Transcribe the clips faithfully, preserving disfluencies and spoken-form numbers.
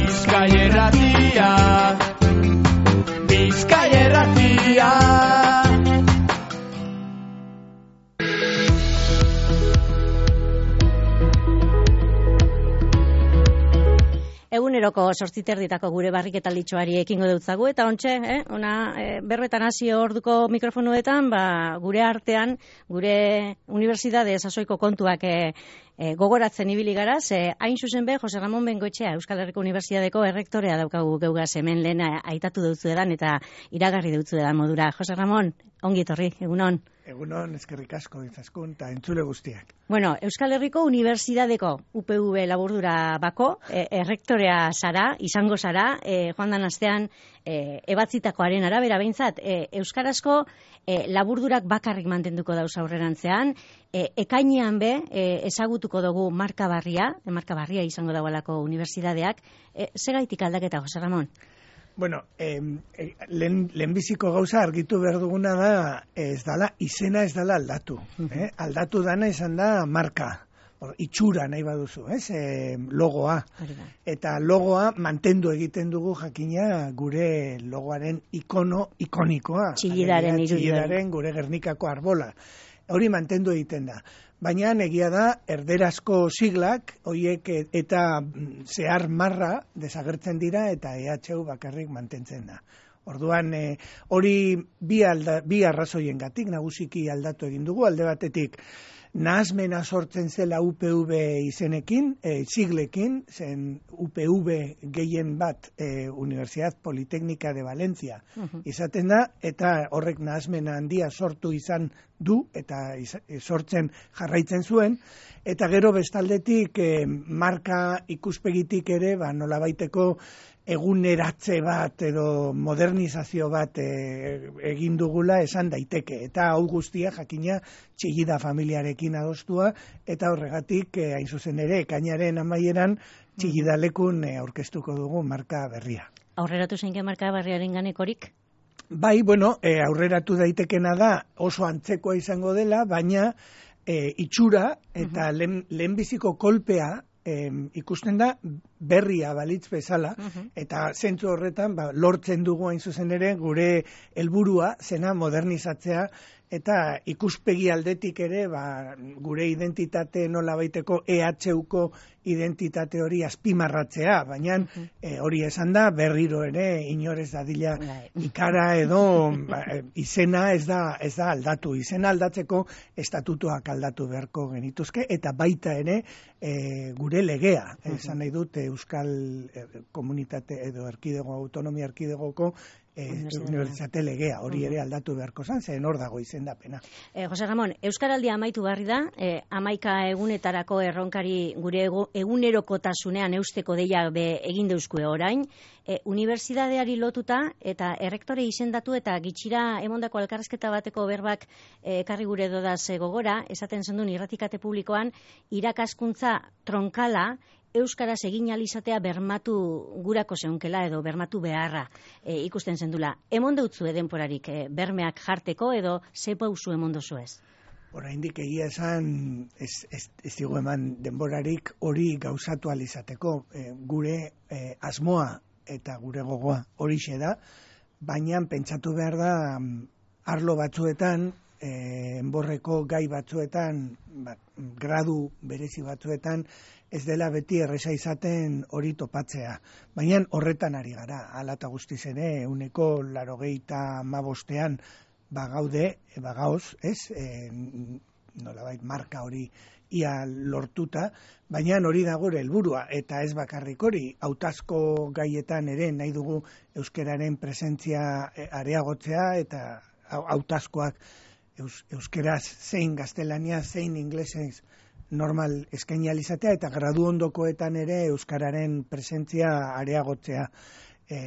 Bizkaia Irratia, Bizkaia Irratia. Eguneroko sortziterditako gure barriketalditxoari ekingo deutzagu, eta ontxe, eh, ona, eh, berbetan hasi orduko mikrofonuetan, ba, gure artean, gure unibertsitate sasoiko kontuak eh, eh, gogoratzen ibili gara, ze hain zuzen be, Jose Ramon Bengoetxea, Euskal Herriko Unibertsitateko errektorea daukagu geugaz hemen lehen aitatu deutzu edan, eta iragarri deutzu edan modura. Jose Ramon, ongi etorri, egunon. Egunon, eskerrik asko ditzaskun, eta entzule guztiak. Bueno, Euskal Herriko Unibertsitateko U P V laburdura bako, e, errektorea zara, izango zara, e, joan dan astean e, ebatzitakoaren arabera behintzat, e, Euskarazko e, laburdurak bakarrik mantenduko dauz aurrerantzean, e, ekainean be, e, ezagutuko dugu marka barria, e, marka barria izango daualako unibertsitateak, e, segaitik aldaketa, Jose Ramon? Bueno, eh, eh, lehen, lehenbiziko gauza argitu behar duguna da, ez dala, izena ez dala aldatu. Eh? Aldatu dana izan da marka, or, itxura nahi baduzu, ez? Eh, logoa. Eta logoa mantendu egiten dugu jakina gure logoaren ikono ikonikoa. Txillidaren irudio. Txillidaren gure Gernikako arbola. Hori mantendu egiten da. Baina egia da, erderazko siglak, hoiek eta zehar marra desagertzen dira eta E H U bakarrik mantentzen da. Orduan, eh, hori bi, alda, bi arrazoiengatik nagusiki aldatu egin dugu, alde batetik, nahasmena sortzen zela U P V izenekin, e, siglekin, zen U P V gehien bat e, Universidad Politécnica de Valencia uh-huh. izaten da, eta horrek nahasmena handia sortu izan du, eta iz, e, sortzen jarraitzen zuen, eta gero bestaldetik e, marka ikuspegitik ere, ba, nolabaiteko eguneratze bat edo modernizazio bat e, egin dugula esan daiteke. Eta hau guztia jakina Txillida familiarekin adostua, eta horregatik e, hain zuzen ere ekainaren amaieran Txillida lekun e, aurkeztuko dugu marka berria. Aurreratu zeinke marka berriaren ganekorik? Bai, bueno, e, aurreratu daitekena da oso antzekoa izango dela, baina e, itxura eta uh-huh. lehen, lehenbiziko kolpea E, ikusten da berria balitz bezala, uh-huh. eta zentzu horretan ba, lortzen dugu hain zuzen ere gure helburua zena modernizatzea, eta ikuspegi aldetik ere ba, gure identitate nola baiteko E H U-ko identitate hori azpimarratzea, baina uh-huh. e, hori esan da berriro ere inorez dadila ikara edo ba, izena ez da, ez da aldatu. Izena aldatzeko estatutuak aldatu beharko genituzke, eta baita ere e, gure legea, uh-huh. esan nahi dut Euskal Komunitate edo Erkidego Autonomia Erkidegoko E, Unibertsitate legea, hori ere aldatu beharko zan, zen hor dago izendapena. Eh, Jose Ramon, Euskaraldia amaitu barri da, eh, amaika egunetarako erronkari gure egunerokotasunean eusteko deia be egin deuzkue orain, eh, unibertsitateari lotuta eta errektore izendatu eta gitxira emondako elkarrezketa bateko berbak ekarri eh, gure dodaz eh, gogora, esaten zendun irratikate publikoan, irakaskuntza tronkala, Euskaraz egin alizatea bermatu gurako zeunkela edo bermatu beharra e, ikusten zendula. Emon deutzu edenporarik e, bermeak jarteko edo zepa usu emon dozu ez? Oraindik egia esan ez, ez, ez digu eman denborarik hori gauzatu alizateko. E, gure e, asmoa eta gure gogoa horixe da, baina pentsatu behar da arlo batzuetan, e, enborreko gai batzuetan, ba, gradu berezi batzuetan, ez dela beti erresa izaten hori topatzea. Baina horretan ari gara, hala eta guztiz ere, uneko larogeita mabostean bagaude, bagaoz, ez, e, nolabait marka hori ia lortuta, baina hori da gure helburua, eta ez bakarrik hori, hautazko gaietan ere nahi dugu euskeraren presentzia areagotzea, eta hautazkoak eus, euskeraz zein gaztelania, zein inglesez, normal eskaini alizatea, eta gradu ondokoetan ere euskararen presentzia areagotzea. E,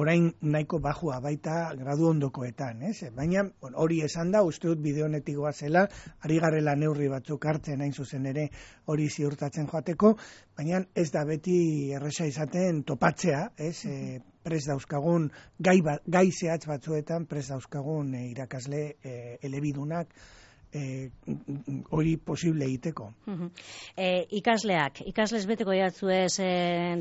orain nahiko bajua baita gradu ondokoetan, ez? Baina bon, hori esan da, uste dut bide honetik goazela, ari garela neurri batzuk hartzen hain zuzen ere hori ziurtatzen joateko, baina ez da beti erresa izaten topatzea, ez? E, pres dauzkagun, gai, ba, gai zehatz batzuetan pres dauzkagun e, irakasle e, elebidunak, hori posible egiteko. E, ikasleak, ikasles beteko jatzuez e,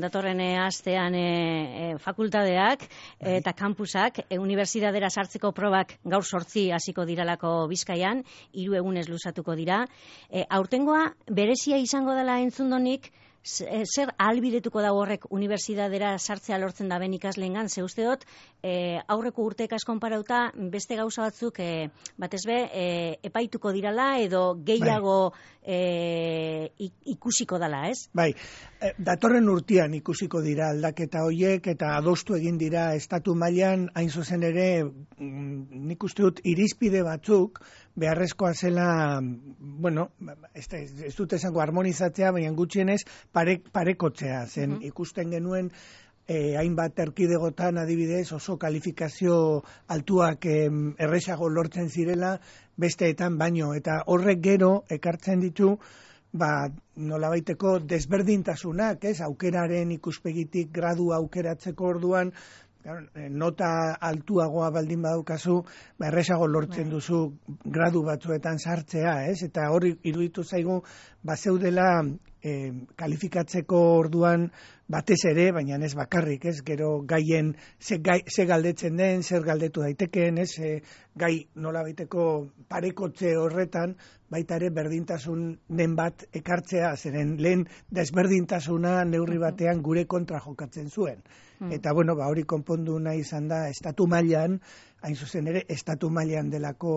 datorren astean e, e, fakultadeak e, eta kampusak, e, unibertsitatera sartzeko probak gaur sortzi hasiko diralako Bizkaian, hiru egunez luzatuko dira. E, aurtengoa berezia izango dela entzundonik, zer ahalbidetuko da horrek unibertsitatera sartzea lortzen da ben ikasleengan, ze uste dut e, aurreko urteekaz konparauta beste gauza batzuk e, batez be e, epaituko dirala edo gehiago bai. e, ikusiko dala, ez? Bai, e, datorren urtean ikusiko dira aldaketa hoiek eta adostu egin dira estatu mailan, hain zuzen ere nik uste dut irizpide batzuk beharrezkoa zela, bueno, ez, ez dut esango harmonizatzea, baina gutxienez pare, parekotzea, zen uh-huh. ikusten genuen eh, hainbat erkidegotan adibidez oso kalifikazio altuak eh, erresago lortzen zirela besteetan baino, eta horrek gero ekartzen ditu ba, nolabaiteko desberdintasunak, ez, aukeraren ikuspegitik gradu aukeratzeko orduan, nota altuagoa baldin badaukazu, ba, erresago lortzen duzu gradu batzuetan sartzea, ez? Eta hori iruditu zaigu, bazeudela eh, kalifikatzeko orduan batez ere, baina ez bakarrik, ez? Gero gaien ze, gai, ze galdetzen den, zer galdetu daitekeen, ez? E, gai nola baiteko parekotze horretan, baita ere berdintasunen bat ekartzea, zeren lehen desberdintasuna neurri batean gure kontra jokatzen zuen. Eta, bueno, ba, hori konpondu nahi izan da, estatu mailan, hain zuzen ere, estatu mailan delako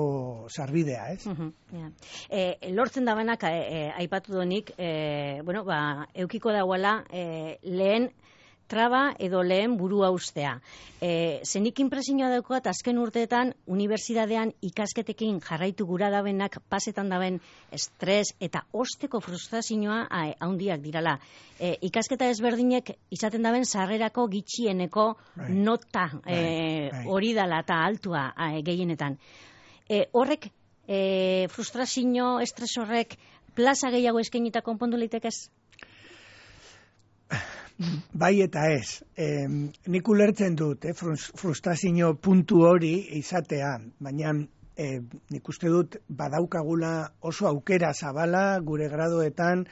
sarbidea, ez? Uh-huh, yeah. e, lortzen da banak, e, e, aipatu donik, e, bueno, ba, eukiko dagoela, e, lehen traba edo lehen burua ustea. E, zenik inpresioa daukat, azken urteetan, unibertsitatean ikasketekin jarraitu gura dabenak, pasetan daben estres eta osteko frustrazioa handiak dirala. E, ikasketa ezberdinek izaten daben sarrerako gitxieneko right. nota hori e, right. dala eta altua e, gehienetan. E, horrek, e, frustrazio, estres horrek, plaza gehiago eskainita konpondu leitekez? Bai eta ez. Eh, nik ulertzen dut, eh, frustrazio puntu hori izatea, baina eh, nik uste dut badaukagula oso aukera zabala gure graduetan,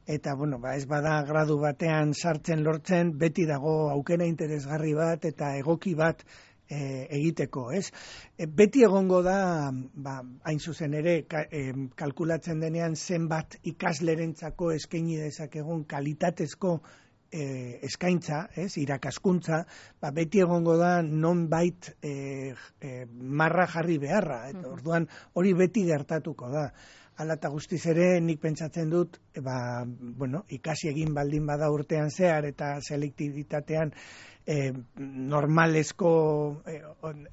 eta bueno, ba, ez bada gradu batean sartzen lortzen, beti dago aukera interesgarri bat eta egoki bat e, egiteko, ez? E, beti egongo da, ba, hain zuzen ere, ka, e, kalkulatzen denean zenbat ikaslerentzako eskaini dezakegun kalitatezko E, eskaintza, ez, irakaskuntza, ba, beti egongo da nonbait e, e, marra jarri beharra, eta orduan hori beti gertatuko da. Hala eta guztiz ere nik pentsatzen dut, e, ba, bueno, ikasi egin baldin bada urtean zehar eta selektibitatean e, normalezko e,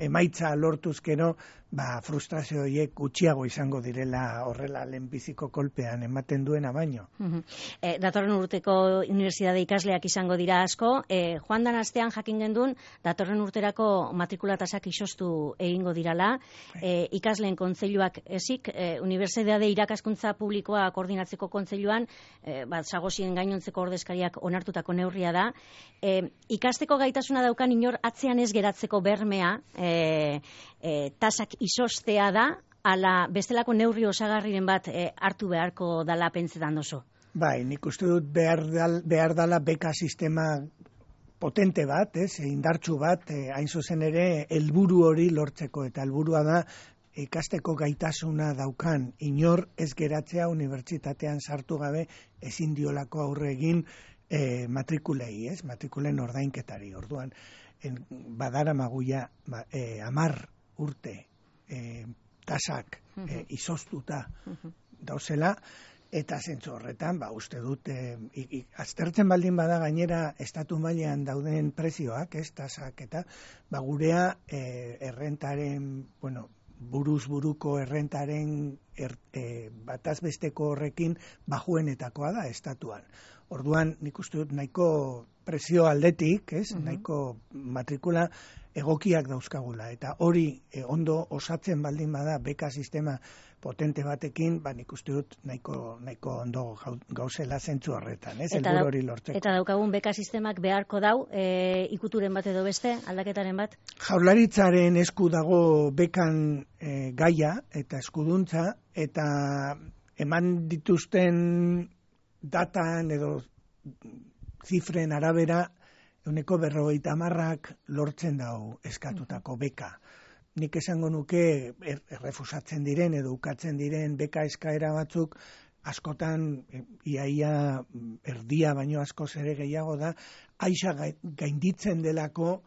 emaitza lortuzkero, ba, frustrazio horiek gutxiago izango direla horrela lehenbiziko kolpean ematen duena baino. Uh-huh. E, datorren urteko unibertsitate ikasleak izango dira asko, e, joan dan astean jakin gendun, datorren urterako matrikulatasak isostu egingo dirala, e, ikasleen kontseiluak ezik, e, unibertsitate irakaskuntza publikoa koordinatzeko kontseiluan, e, bat zagozien gainontzeko ordezkariak onartutako neurria da, e, ikasteko gaitasuna daukan inor atzean ez geratzeko bermea, e, e, tasak izostea da, ala bestelako neurri osagarriren bat e, hartu beharko dala pentsetan dozu? Bai, nik uste dut behar, dal, behar dala beka sistema potente bat, ez, indartsu bat, e, hain zuzen ere, helburu hori lortzeko, eta helburua da ikasteko gaitasuna daukan inor ez geratzea unibertsitatean sartu gabe ezin diolako aurre egin e, matrikulei, ez, matrikulen ordainketari. Orduan, en, badara maguia ba, e, amar urte e, tasak e, izoztuta dauzela, eta zentzu horretan, ba, uste dut, e, i, i, aztertzen baldin bada gainera estatu mailean dauden prezioak, ez, tasak, eta ba, gurea e, errentaren, bueno, buruz buruko errentaren er, e, bataz besteko horrekin bajuenetakoa da estatuan. Orduan, nik uste dut nahiko presio aldetik, ez, uh-huh. nahiko matrikula egokiak dauzkagula, eta hori e, ondo osatzen baldin bada beka sistema potente batekin, ba nik uste dut nahiko, nahiko ondo gauzela zentzu horretan, ez, helburu hori lortzeko. Eta daukagun beka sistemak beharko dau, e, ikuturen bat edo beste, aldaketaren bat? Jaurlaritzaren esku dago bekan e, gaia eta eskuduntza, eta eman dituzten datan edo zifren arabera, euneko berrogeita hamarrak lortzen dau eskatutako beka. Nik esango nuke er, errefusatzen diren edo ukatzen diren beka eskaera batzuk askotan iaia erdia baino askoz ere gehiago da, aixa gainditzen delako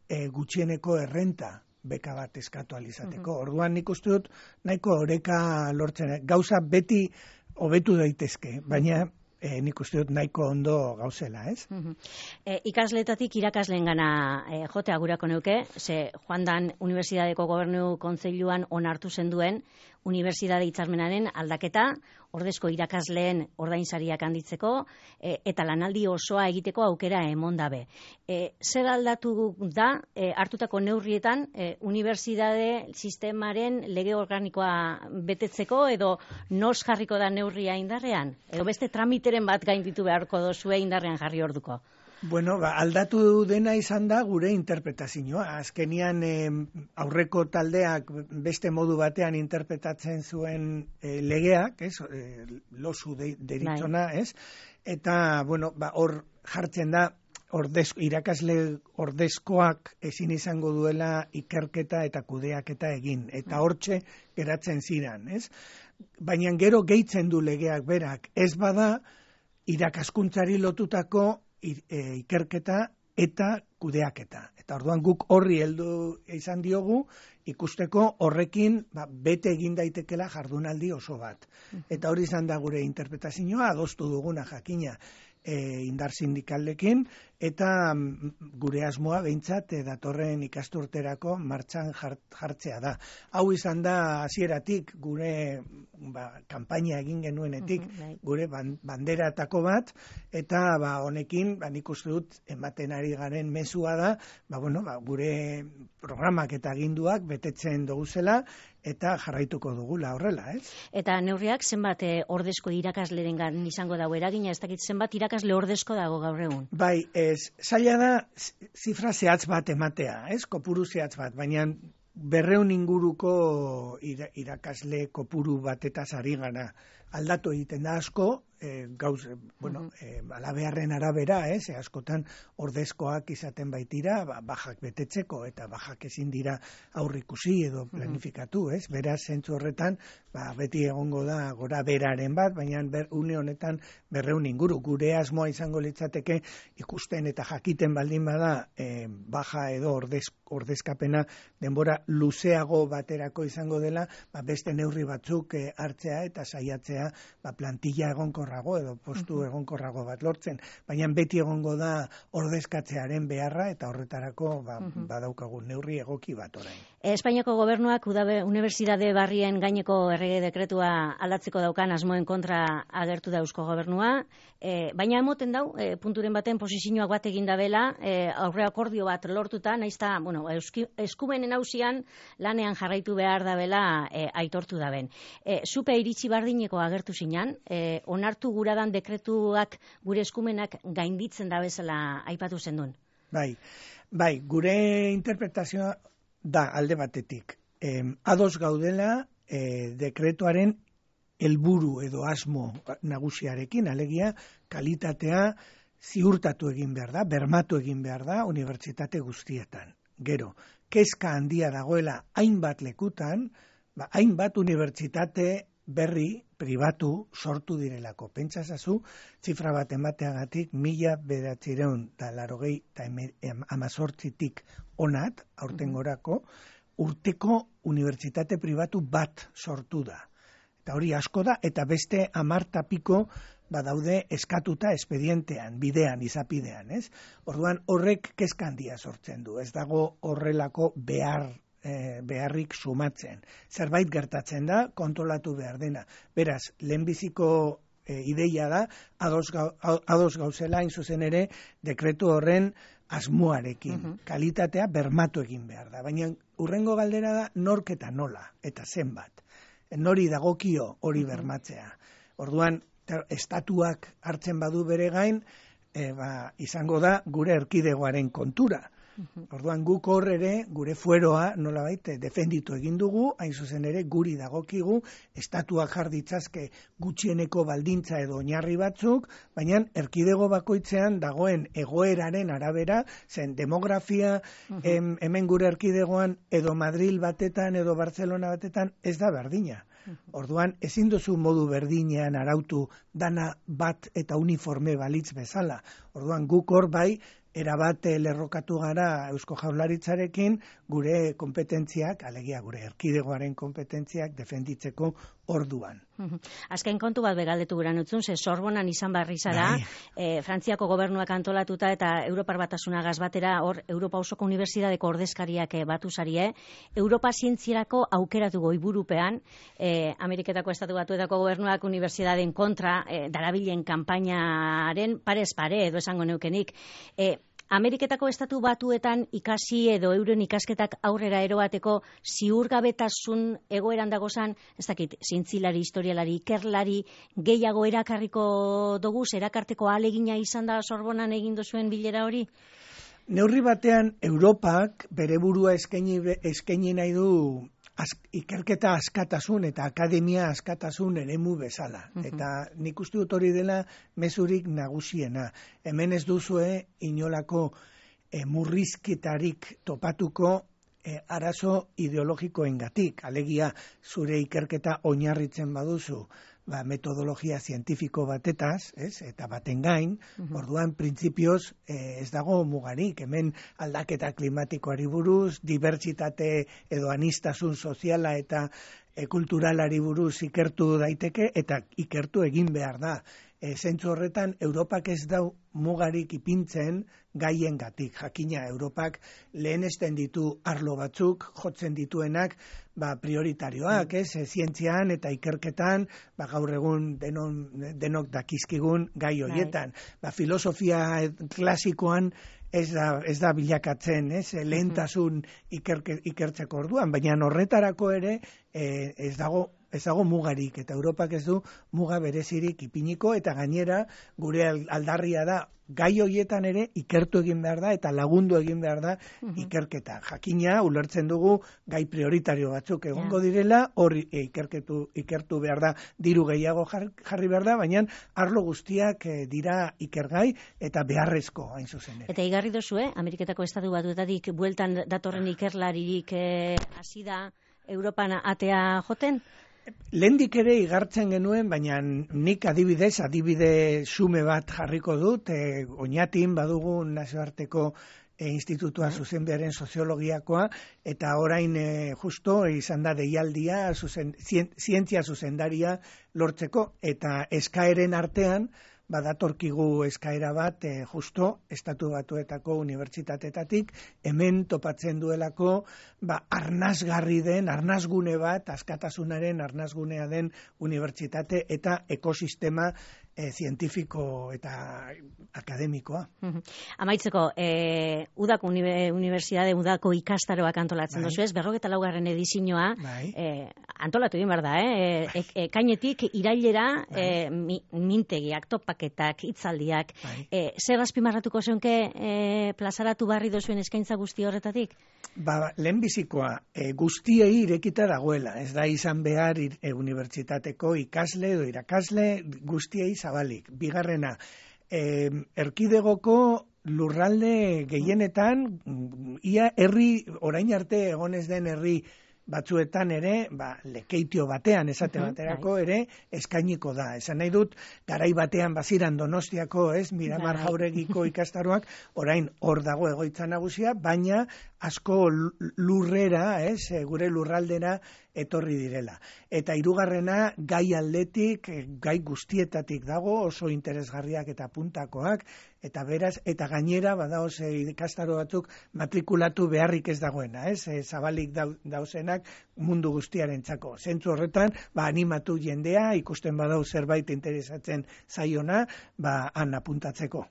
e, gutxieneko errenta beka bat eskatu alizateko. Uh-huh. Orduan nik uste dut nahiko oreka lortzen, gauza beti hobetu daitezke, baina E, nik uste dut nahiko ondo gauzela, ez? Uh-huh. e, Ikasletatik irakasleen gana e, jotea gurako neuke, ze joan dan Unibertsitateko Gobernu Kontseiluan onartu zenduen Unibertsitate hitzarmenaren aldaketa, ordezko irakasleen ordainsariak handitzeko, e, eta lanaldi osoa egiteko aukera emon dabe. E, zer aldatu da, e, hartutako neurrietan, e, unibertsitate sistemaren lege organikoa betetzeko, edo nos jarriko da neurria indarrean? Edo beste tramiteren bat gainditu beharko dozue indarrean jarri orduko? Bueno, ba, aldatu dena izan da gure interpretazioa. Azkenian eh, aurreko taldeak beste modu batean interpretatzen zuen eh, legeak, ez, eh, losu de, deritzona, ez, eta, bueno, ba, hor jartzen da, ordez, irakasle ordezkoak ezin izango duela ikerketa eta kudeaketa egin, eta hortxe geratzen ziren, ez. Baina gero gehitzen du legeak berak, ez bada irakaskuntzari lotutako ikerketa eta kudeaketa. Eta orduan guk horri heldu izan diogu ikusteko horrekin ba, bete egin daitekela jardunaldi oso bat. Eta hori izan da gure interpretazioa, adostu duguna jakina e, indar sindikalekin, eta gure asmoa behintzat e, datorren ikasturterako martxan jart, jartzea da. Hau izan da hasieratik gure ba, kanpaina egin genuenetik, uh-huh, gure banderatako bat, eta ba, honekin ba, nik uste dut ematen ari garen mezua da, ba, bueno, ba, gure programak eta aginduak betetzen duguzela, eta jarraituko dugula horrela, ez? Eta neurriak zenbat e, ordezko irakaslerengan izango dago eragina, ez dakit zenbat irakasle ordezko dago gaur egun? Bai, ez, zaila da zifra zehatz bat ematea, ez? Kopuru zehatz bat, baina berreun inguruko irakasle kopuru batetaz ari gana. Aldatu egiten da asko, e, gauz, bueno, e, alabeharren arabera, ez, e, askotan ordezkoak izaten baitira, ba, bajak betetzeko, eta bajak ezin dira aurrikusi edo planifikatu, ez, beraz, zentzu horretan, ba, beti egongo da gora beraren bat, baina ber, une honetan berreun inguru, gure asmoa izango litzateke ikusten eta jakiten baldin bada, e, baja edo ordez, ordezkapena denbora luzeago baterako izango dela, ba, beste neurri batzuk e, hartzea eta saiatzea ba, plantilla egonkorrago edo postu uh-huh. egonkorrago bat lortzen, baina beti egongo da ordezkatzearen beharra eta horretarako ba, uh-huh. badaukagu neurri egoki bat orain. Espainiako gobernuak udabe, Unibertsitate Barrien gaineko errege dekretua aldatzeko daukan asmoen kontra agertu da Eusko Gobernua, e, baina emoten dau, e, punturen baten posizioak bat egin dabela, e, aurre akordio bat lortuta, naizta, bueno, euski, eskumenen hausian lanean jarraitu behar dabela e, aitortu daben. E, Zupe iritsi bardineko agertu zinan, e, onartu guradan dekretuak gure eskumenak gainditzen da bezala aipatu zendun. Bai, bai, gure interpretazioa da alde batetik. E, ados gaudela e, dekretuaren helburu edo asmo nagusiarekin, alegia kalitatea ziurtatu egin behar da, bermatu egin behar da unibertsitate guztietan. Gero, kezka handia dagoela hainbat lekutan, ba, hainbat unibertsitate berri pribatu sortu direlako. Pentsasazu, zifra bat emateagatik, mila bederatziehun eta laurogei eta hamazortzitik onat, aurten gorako, urteko unibertsitate pribatu bat sortu da. Eta hori asko da, eta beste hamar tapiko badaude eskatuta espedientean, bidean, izapidean, ez? Orduan horrek kezka handia sortzen du, ez dago horrelako behar beharrik sumatzen. Zerbait gertatzen da, kontrolatu behar dena. Beraz, lehenbiziko e, ideia da, ados, gau, ados gauzela hain zuzen ere dekretu horren asmoarekin, uh-huh. kalitatea bermatu egin behar da. Baina urrengo galdera da nork eta nola, eta zenbat. Nori dagokio hori uh-huh. bermatzea. Orduan, estatuak hartzen badu bere gain, e, ba, izango da gure erkidegoaren kontura. Orduan guk hor ere, gure fueroa, nolabait, defenditu egin dugu, hain zuzen ere guri dagokigu, estatuak jar ditzazke gutxieneko baldintza edo oinarri batzuk, baina erkidego bakoitzean dagoen egoeraren arabera, zen demografia, uh-huh. em, hemen gure erkidegoan, edo Madril batetan, edo Barcelona batetan, ez da berdina. Orduan, ezin duzu modu berdinean arautu dana bat eta uniforme balitz bezala. Orduan, guk hor bai, erabat lerrokatu gara Eusko Jaurlaritzarekin gure kompetentziak, alegia gure erkidegoaren kompetentziak defenditzeko orduan. Azken kontu bat begaldetu guran utzun, ze Sorbonan izan barri zara, e, Frantziako gobernuak antolatuta eta Europar Batasunagaz batera, hor Europa osoko unibertsitateko ordezkariak batu zarie, Europa zientzierako aukeratu goiburupean, e, Ameriketako Estatu Batuetako gobernuak unibertsitateen kontra e, darabilen kanpainaren parez pare edo esango neukenik, e, Ameriketako Estatu Batuetan ikasi edo euren ikasketak aurrera eroateko ziurgabetasun egoeran dagozan, ez dakit, zintzilari, historialari, ikerlari, gehiago erakarriko doguz, erakarteko alegina izan da Sorbonan egin duzuen bilera hori? Neurri batean, Europak bere burua eskaini, eskaini nahi du Az, ikerketa askatasun eta akademia askatasun eremu bezala. Uh-huh. Eta nik uste dut hori dela mezurik nagusiena. Hemen ez duzue inolako e, murrizketarik topatuko e, arazo ideologikoengatik. Alegia zure ikerketa oinarritzen baduzu ba, metodologia zientifiko batetaz, ez? Eta baten gain, uh-huh. orduan printzipioz eh, ez dago mugarik, hemen aldaketa klimatikoari buruz, dibertsitate edo anistasun soziala eta e, kulturalari buruz ikertu daiteke, eta ikertu egin behar da. E, zentzu horretan, Europak ez dau mugarik ipintzen gaiengatik. Jakina, Europak lehenesten ditu arlo batzuk, jotzen dituenak, ba, prioritarioak, ez, e, zientzian eta ikerketan, ba, gaur egun denon, denok dakizkigun gai horietan. Ba, filosofia klasikoan ez da, ez da bilakatzen, ez, lehentasun ikerke, ikertzeko orduan, baina horretarako ere e, ez dago ez dago mugarik, eta Europak ez du muga berezirik ipiniko, eta gainera gure aldarria da gai horietan ere ikertu egin behar da eta lagundu egin behar da uh-huh. ikerketa. Jakina, ulertzen dugu gai prioritario batzuk egongo yeah. direla, hori e, ikerketu, ikertu behar da, diru gehiago jar, jarri behar da, baina arlo guztiak e, dira ikergai eta beharrezko hain zuzen ere. Eta igarri dozu, eh? Ameriketako Estatu Batuetatik bueltan datorren ikerlaririk hasi eh, da Europan atea joten? Lehendik ere igartzen genuen, baina nik adibidez, adibide xume bat jarriko dut, e, Oñatin badugu nazioarteko e, institutua zuzenbiaren soziologiakoa, eta orain e, justo izan da deialdia zuzen, zien, zientzia zuzendaria lortzeko, eta eskaeren artean, badatorkigu eskaera bat e, justo Estatu Batuetako unibertsitatetatik hemen topatzen duelako ba, arnasgarri den, arnasgune bat, askatasunaren arnasgunea den unibertsitate eta ekosistema e, zientifiko eta akademikoa. Uh-huh. Amaitzeko, e, udako unibertsitate, udako ikastaroak antolatzen bai. Dozu ez, berrogeta laugarren edizioa bai. e, antolatu egin behar da, eh? e, e, kainetik irailera bai. e, mi, mintegiak, topaketak, hitzaldiak, bai. e, zer azpimarratuko zeunke e, plazaratu barri dozuen eskaintza guzti horretatik? Ba, lehenbizikoa, e, guztiei irekita dagoela, ez da izan behar e, unibertsitateko ikasle edo irakasle guztiei zabalik. Bigarrena, e, erkidegoko lurralde gehienetan, ia herri, orain arte egonez den herri batzuetan ere, ba, lekeitio batean, esate baterako ere, eskainiko da. Esan nahi dut, garai batean baziran Donostiako, ez, Miramar Jauregiko ikastaroak, orain hor dago egoitza nagusia, baina asko lurrera, ez, gure lurraldera etorri direla. Eta hirugarrena gai aldetik, gai guztietatik dago, oso interesgarriak eta puntakoak, eta beraz, eta gainera, badaoz ikastaro batzuk matrikulatu beharrik ez dagoena, ez? E, zabalik dauzenak mundu guztiaren txako. Zentzu horretan, ba, animatu jendea, ikusten badau zerbait interesatzen zaiona, ba, han apuntatzeko.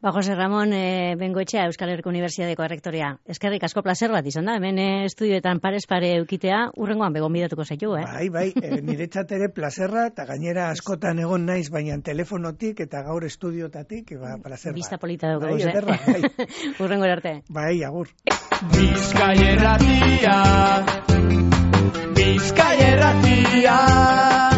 Ba, Jose Ramon e, Bengoetxea, Euskal Herriko Unibertsitateko errektorea. Eskerrik asko plazer bat izan da, hemen e, estudioetan parez pare eukitea, urrengoan begonbidatuko zaitu, eh? Bai, bai, e, niretzat ere plazerra, eta gainera askotan egon naiz, baina telefonotik eta gaur estudiotatik, ba, plazer bat. Bista polita dugu, bai, eh? Ederra, bai. Urrengo arte. Bai, agur. Bizkaia irratia, Bizkaia irratia.